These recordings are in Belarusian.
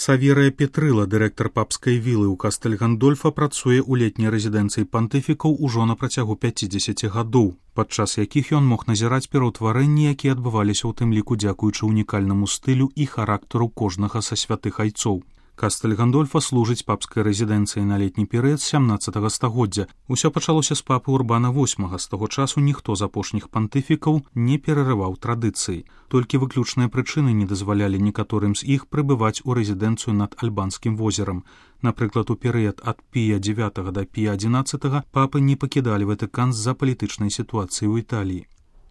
Саверыя Петрыла, дырэктар папскай вілы ў Кастэль-Гандольфа, працуе ў летняй рэзідэнцыі пантыфікаў ужо на працягу 50 гадоў, падчас якіх ён мог назіраць пераўтварэнні, якія адбываліся ў тым ліку дзякуючы ўнікальнаму стылю і характару кожнага са святых айцоў. Кастэль-Гандольфа служыць папскай рэзідэнцыі на летні перыяд 17 стагоддзя. Усё пачалося з папы Урбана VIII. З таго часу ніхто з апошніх пантыфікаў не перарываў традыцыі. Толькі выключныя прычыны не дазвалялі некаторым з іх прыбываць у рэзідэнцыю над Альбанскім возерам. Напрыклад, у перыяд ад Пія IX да Пія XI папы не пакідалі Ватыкан з-за палітычнай сітуацыі ў Італіі.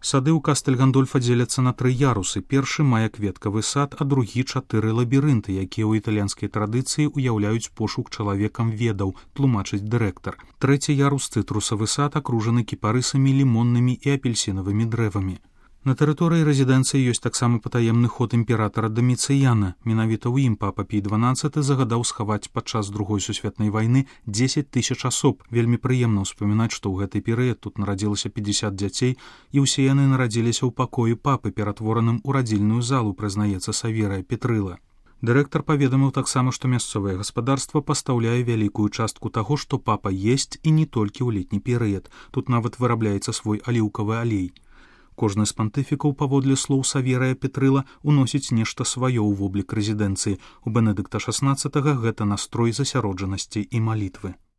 Сады ў Кастэль-Гандольфа дзеляцца на 3 ярусы. Першы мае кветкавы сад, а другі 4 лабірынты, якія ў італьянскай традыцыі ўяўляюць пошук чалавекам ведаў, тлумачыць дырэктар. Трэці ярус цытрусавы сад акружаны кіпарысамі, лімоннымі і апельсінавымі дрэвамі. На тэрыторыі рэзідэнцыі ёсць таксама патаемны ход імператара Даміцыяна. Менавіта ў ім папа Пій XII загадаў схаваць падчас Другой сусветнай вайны 10 000 асоб. Вельмі прыемна ўспамінаць, што ў гэты перыяд тут нарадзілася 50 дзяцей, і ўсе яны нарадзіліся ў пакоі папы, ператвораным у радзільную залу, прызнаецца Саверыя Петрыла. Дырэктар паведаміў таксама, што мясцовае гаспадарства пастаўляе вялікую частку таго, што папа есць, і не толькі ў летні перыяд. Тут нават вырабляецца свой аліўкавы алей. Кожны з пантыфікаў, паводле слоў Саверыя Петрыла, уносіць нешта сваё ў воблік рэзідэнцыі. У Бенедыкта XVI гэта настрой засяроджанасці і малітвы.